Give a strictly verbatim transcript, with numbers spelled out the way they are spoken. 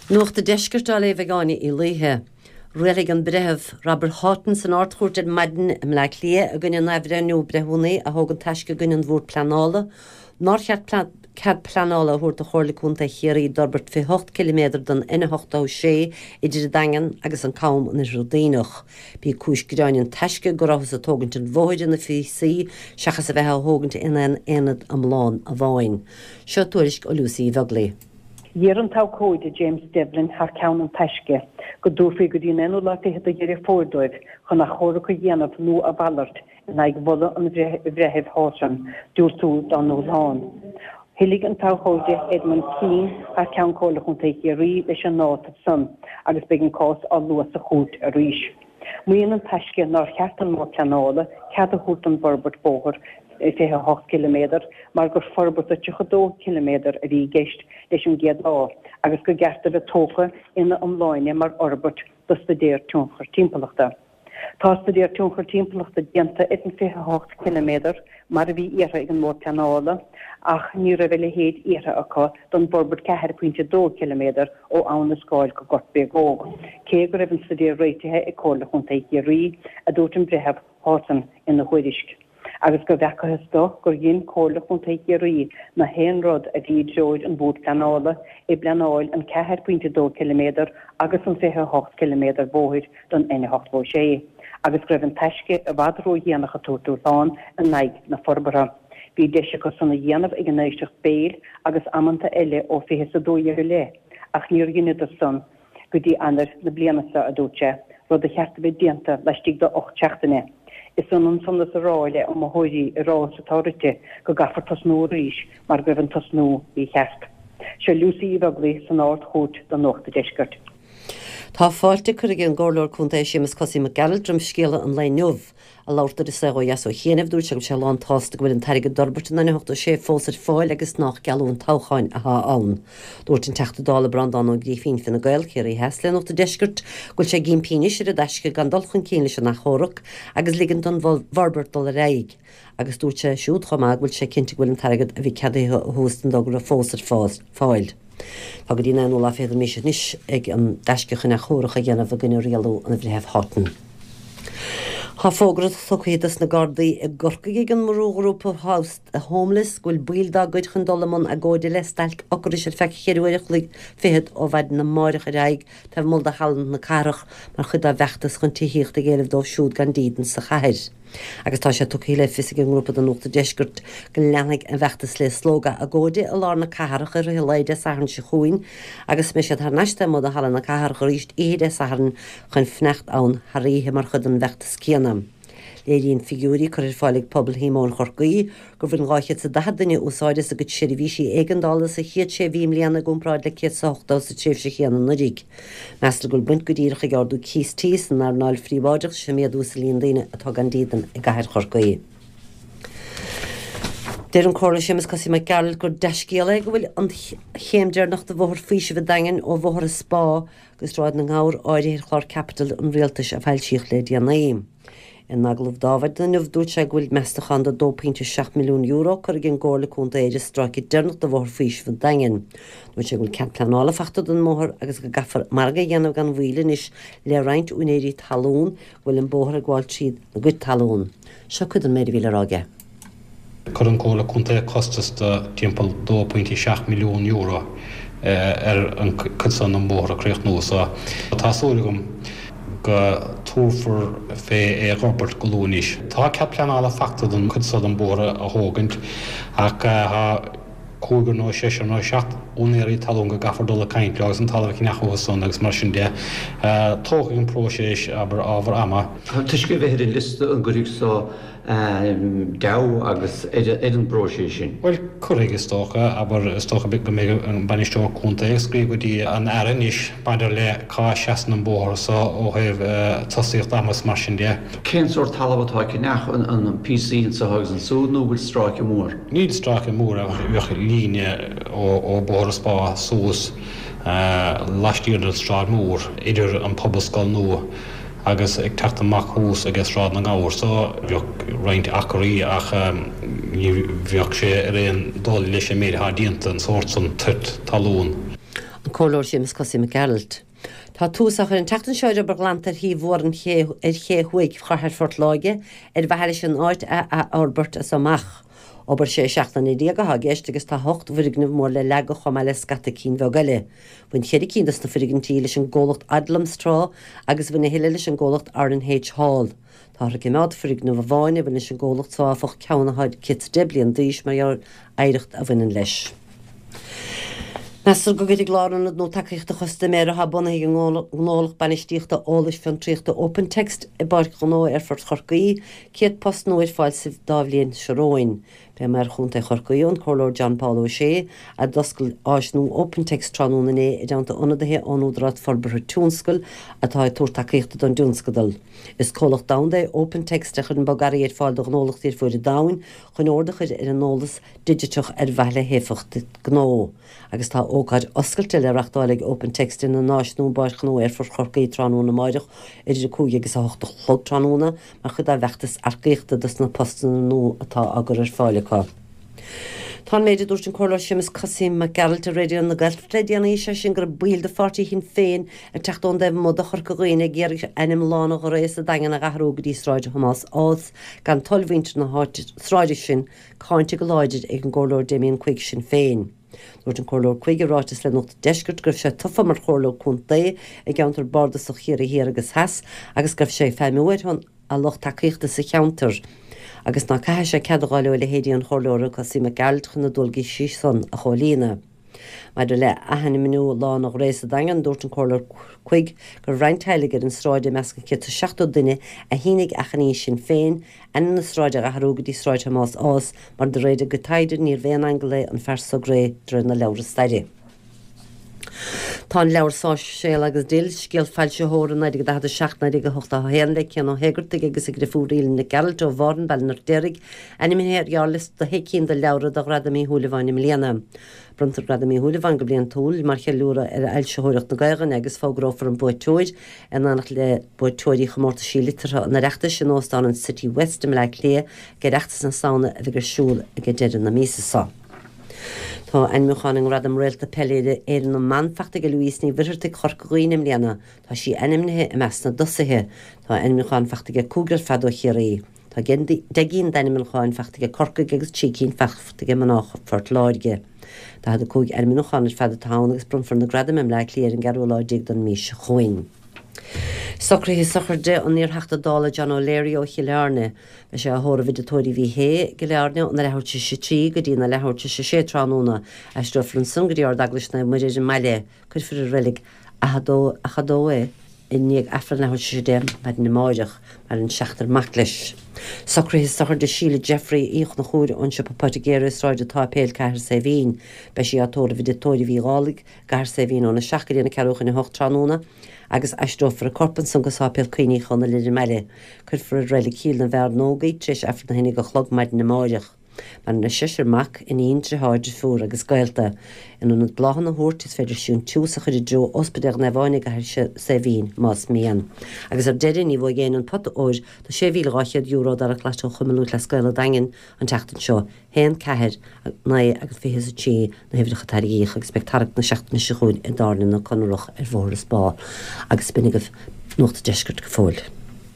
Nuacht an Deiscirt á léamh ag Áine Uí Laoithe. Rialaigh an breitheamh Robert Houghton san Ard-Chúirt ar maidin i mBleá Cliath i gcoinne an athbhreithniú breithiúnaí a thóg an Taisce i gcoinne an Bhord Pleanála, nár cheart cead pleanála a thabhairt do Chomhairle Contae Chiarraí d'fhorbairt fiche hocht ciliméadar den N ochtó sé idir an Daingean agus an Cam in Oirthear Duibhneach. B'í cúis gearáin an Taisce go rabhthas ag tógaint an bhóthair ina phíosaí seachas a bheith á thógaint in aon aonad iomlán amháin. Seo tuairisc ó Lucy Bheaglaoich. D'iarr an t-abhcóide James Devlin thar ceann an Taisce go dtabharfaí go dtí an aonú lá fichead de Dheireadh Fómhair dóibh chun achomharc a dhéanamh nó a mhalairt in aghaidh mholadh an Bhreithimh Houghton diúltú dá ndúshlán. Thoiligh an t-abhcóide Edmund Keane thar ceann Chomhairle Chontae Chiarraí leis an áiteamh san agus beidh an cás á lua sa chúirt arís. Maíonn an Taisce nár cheart don mBord Pleanála cead a thabhairt don bhforbairt bóthair fiche a hocht ciliméadar mar gur forbairt de tríocha dó ciliméadar a bhí i gceist leis an gcéad lá agus gur cheart a bheith tógtha ina iomláine mar fhorbairt do staidéar tionchar timpeallachta. Tá staidéar tionchar timpeallachta déanta ar an fiche a hocht ciliméadar mar a bhí iarrtha ag an mBord Pleanála ach ní raibh a leithéid iarrtha acu don bhforbairt ceathair pointe dó ciliméadar ó Abhainn na Scáil go Gort Bréagóg, cé go raibh an staidéar réitithe ag Comhairle Chontae Chiarraí, a dúirt an Breitheamh Houghton ina thuairisc. agus go bhfeacathas dó gur dhein Comhairle Chontae Chiarraí na haon rud a bhí i dtreoir an Bhoird Pleanála i bpleanáil an ceathair pointe dó ciliméadar agus an fiche a hocht ciliméadar bóthair don N ochtó sé, agus go raibh an Taisce i bhfad ródhéanach ag tabhairt dúshlán in aghaidh na forbartha. Bhí deis acu san a dhéanamh ag an éisteacht béil agus amanta eile ó fiche is a dó dhéag i leith, ach níor dheineadar san. go dtí Eanáir na bliana seo, a dúirt sé, rud a cheart a bheith déanta laistigh de ocht seachtaine. Is ionann san is a rá le iomaitheoirí i rás atá rite go gcaithfear tosnú arís mar go raibh an tosnú mícheart. Seo Lucy Uí Bheaglaoich san Ard-Chúirt do Nuacht an Deiscirt. Tá fáilte curtha ag an gComhairleoir Contae Séamus Cosaí Mac Gearailt roimh scéala an lae inniu. Ag labhairt dó ar An Saol Ó Dheas ó chianaibh, dúirt sé go bhfuil sé lán-tsásta go bhfuil an t-airgead d'fhorbairt an N ochtó sé fós ar fáil agus nách geallúint toghcháin atá ann. Dúirt an Teachta Dála Breandán Ó Grífín, Fine Gael, Ciarraí Theas le Nuacht an Deiscirt, go bhfuil sé ag impí anois ar an dTaisce gan dul chun cinn leis an achomharc agus ligean don bhforbairt dul ar aghaidh. Agus dúirt sé siúd chomh maith go bhfuil sé cinnte go bhfuil an t-airgead a bhí ceadaithe ó thús don dtogra fós ar fáil. Tá go dtí an aonú lá fichead den mhí seo anois ag an dTaisce chun achomharc a dhéanamh i gcoinne rialú an Bhreithimh Houghton. Tá fógra tugtha dos na Gardaí i gCorcaigh ag an mbrúghrúpa House the Homeless go bhfuil baill dá gcuid chun dul i mbun agóide le stailc ocrais ar feadh cheithre uair a chloig fichead ó mhaidin amáireach ar aghaidh taobh amuigh de Halla na Cathrach mar chuid dá bhfeachtas chun tithíocht ag éileamh dóibh siúd gan dídean sa chathair. Agus tá sé tugtha le fios ag an ngrúpa do Nuacht an Deiscirt go leanfaidh an bhfeachtas le slógadh agóide i lár na cathrach i rith an lae Dé Sathairn seo chugainn agus beidh siad thar n-ais taobh amuigh de Halla na Cathrach arís oíche Dé Sathairn chun fanacht ann thar oíche mar chuid den bhfeachtas céanna. Léiríonn figiúirí curtha ar fáil ag Pobal Shíomóin Chorcaí gur bhain dhá chéad is daichead duine úsáid as a gcuid seirbhísí éigeandála sa chéad sé mhí i mbliana i gcomparáid le céad is a hochtó sa tréimhse chéanna anuraidh. Meastar go bhfuil baint go díreach ag ardú cíos tí san earnáil phríobháideach leis an méadú sa líon daoine atá gan dídean i gcathair Chorcaí. Deir an Comhairleoir Séamus Cosaí Mac Gearailt gur dea-scéal é go bhfuil an chéim deireanach de Bhóthar Faoisimh an Daingin ó Bhóthar an Spá go Sráid na nGabhar áirithe ar chlár caipitil an Rialtais a foilsíodh le déanaí. In agallamh dá mhaidin inniu, dúirt sé go bhfuil meastachán de dó pointe seacht milliún euro curtha ag an gComhairle Contae ar an stráice deireanach de Bhóthar Faoisimh an Daingin. Dúirt sé go bhfuil cead pleanála faighte don mbóthar agus go gcaithfear margadh a dhéanamh gan mhoill anois le roinnt úinéirí talún go bhfuil an bóthar ag gabháil tríd a gcuid talún. Seo cuid den méid a bhí le rá aige. Chuir an Chomhairle Contae costas de timpeall dó pointe seacht milliún euro ar an chuid san den bhóthar a chríochnú so tá súil agam go dtabharfar fé é a fhorbairt go luath anois. Tá cead pleanála faighte don chuid so den bhóthar a thógaint ach tá cúigear nó seisear nó seacht úinéirí talún go gcaithfear dul ag caint leo agus an talamh a cheannach uathu san agus mar sin de. Tógfaidh an próiseas, abair, ábhar ama. Toisc a bheith ar an liosta an gcuirfidh so deabhadh agus ar an bpróiseas sin? Bhuel, cuirfidh, is dócha. Abair, is dócha go mbeidh an Bainisteoir Contae ag scríobh go dtí an Aire anois maidir le cá seasann an bóthar so ó thaobh tosaíocht ama is mar sin de. Cén sórt talamh atá á cheannach, an píosaí anseo agus ansúd nó an bhfuil stráice mór? Níl stráice mór ach bheadh líne ó Bhóthar an Spá suas laistiar den tSráid Mhór idir an Pobalscoil nua agus ag teacht amach thuas aige Sráid na nGabhar so bheadh roinnt acraí ach ní bheadh sé ar aon dul leis an méid atá déanta an sórt san toit talún. An Comhairleoir Séamus Cosaí Mac Gearailt. Tá tús á chur an tseachtain seo ar obair ghlanta ar thaobh mhór an ché ar ché thuaidh chathair Phort Láirge ar mhaithe leis an áit a athfhorbairt as amach. Obair sé seachtaine déag atá i gceist agus tá ocht bhfoirgneamh mór le leagadh chomh maith le scata cinn bheag eile. Bhain ceithre cinn dos na foirgintí leis an gcomhlacht Odlums tráth agus bhain a thuilleadh leis an gcomhlacht R and H Hall. Táthar ag coimeád foirgneamh amháin a bhain leis an gcomhlacht so áfach, ceann atá céad is deich bliain d'aois mar gheall ar oidhreacht a bhaineann leis. Meastar go gcuirfidh lárionad nua tacaíochta custaiméara atá bunaithe ag an ngnólacht bainistíochta eolais fiontraíochta OpenText i bPáirc Ghnó Aerfort Chorcaí céad post nua ar fáil sa dá bhliain seo romhainn. B'é Maor Chontae Chorcaí, an Comhairleoir John Paul O'Shea, a d'oscail áis nua OpenText tráthnóna inné i dteannta ionadaithe ón Údarás Forbartha Tionscail atá ag tabhairt tacaíochta don tionscadal. Is comhlacht domhanda é OpenText a chuireann bogearraí ar fáil do ghnólachtaí ar fud an domhain chun ord a chur ar an eolas digiteach ar mhaithe le héifeacht gnó. Agus tá ócáid oscailte le reáchtáil ag OpenText ina n-áis nua i bPáirc Ghnó Aerfort Chorcaí tráthnóna amárach idir a cúig agus a hocht a chlog tráthnóna mar chuid dá bhfeachtas earcaíochta dos na postanna nua atá á gcur ar fáil acu. Tá an méid a dúirt an Comhairleoir Séamus Cosaí Mac Gearailt ar Raidió na Gaeltachta le déanaí, sé sin go raibh baill de pháirtí Shinn Féin ag teacht ón dtaobh amuigh de Chorca Dhuibhne ag iarraidh ainm Lána Ghrae sa Daingean a athrú go dtí Sráid Thomáis Ághas gan toil mhuintir na háite sráide sin cáinte go láidir ag an gComhairleoir Damien Quigg Sinn Féin. Dúirt an Comhairleoir Quigg i ráiteas le Nuacht Deiscirt go raibh sé tofa mar chomhairleoir contae i gceantar bardasach Chiarraí Thiar agus Theas agus go raibh sé ag feidhmiú ar shon a lucht tacaíochta sa cheantar. Agus ná caithfidh sé cead a fháil ó leithéidí an chomhairleora Cosaí Mac Gearailt chun na dualgaisí san a chomhlíonadh. Maidir le hathainmniú Lána Ghrae sa Daingean dúirt an Comhairleoir Quigg go raibh roinnt teaghlaigh ar an sráid i measc an céad is seachtó duine a shínigh achainí Sinn Féin ainm na sráide a athrú go dtí Sráid Thomáis Ághas mar de réir a gcuid taighde níorbh aon aingeal é an fear so Grey de réir na leabhar staire. Tá an leabhar Sáirséal agus Dill scéal foilsitheora naoi déag daichead a seacht naoi déag a hocht a haon le Cian Ó hÉigeartaigh agus a dheirfiúr Aoileann Nic Gearailt ó Bhárn Baile an Fheirtéaraigh ainmnithe ar ghearrliosta de shé cinn de leabhra do Ghradam Uí Shúilleabháin i mbliana. Bronntar Gradam Uí Shúilleabháin go bliantúil mar cheiliúradh ar fhoilsitheoireacht na Gaeilge agus fógrófar an buaiteoir in éineacht le buaiteoirí chomórtaisí liteartha an Oireachtais in Óstán an City West i mBleá Cliath ag Oireachtas na Samhna a bheidh ar siúl ag deireadh na míosa seo. Tá ainmniúchán i nGradam Réalta Peile Éireann na mBan faighte ag Louise Ní Mhuircheartaigh Chorca Dhuibhne i mbliana, tá sí ainmnithe i measc na dtosaithe, tá ainmniúchán faighte ag cúigear fad ó Chiarraí. Tá deich gcinn d'ainmniúcháin faighte ag Corcaigh agus trí cinn faighte ag mná Phort Láirge. Daichead a cúig ainmniúchán ar fad atá ann agus bronnfar na gradaim i mBleá Cliath ar an gceathrú lá déag den mhí seo chugainn. Socruithe sochraide an iarTheachta Dála John O'Leary ó Chill Airne. Beidh sé á thórramh i dTigh Tórraimh Uí Shé i gCill Airne óna leathuair tar éis a trí go dtí na leathuair tar éis a sé tráthnóna, aistreofar ansan go dtí Ard-Eaglais Naomh Muire ar an mbaile, cuirfear i reilig Achadó Achadó é i ndiaidh Aifreann leathuair tar éis a deich maidin amáireach maireann seachtar mac leis. Socruithe sochraide Síle Jeffrey Uí Chonchúir ón siopa poitigéara i Sráid an tSáipéil Cathair Saidhbhín. Beidh sí á tórramh i dTigh Tórraimh Uí Dhálaigh gCathair Saidhbhín óna seacht go dtí na ceathrú chun a hocht tráthnóna, agus aistreofar a corp ansan go Sáipéal Cuimhne Uí Chonaill ar an mbaile. Cuirfear i reilig Chill na bhFearnóg í tar éis Aifreann a haon déag a chlog maidin amáireach. Maireann seisear mac, iníon, deartháir, deirfiúr agus gaolta. In ionad bláthanna a thabhairt is féidir síntiús a chur i dtreo Ospidéal Naomh Áine i gCathair Saidhbhín más mian. Agus ar deireadh ní bhuaigh éinne an pota óir de sé mhíle dhá chéad euro dara claite ó Chumann Lúthchleas Gael an Daingin an tseachtain seo. Haon ceathair naoi agus fiche is a trí na huimhreacha tarraingíodh agus beidh tarraingt na seachtaine seo chugainn i dTábhairne na Conrach ar Bhóthar an Spá agus b'in agaibh Nuacht Deiscirt go fóill.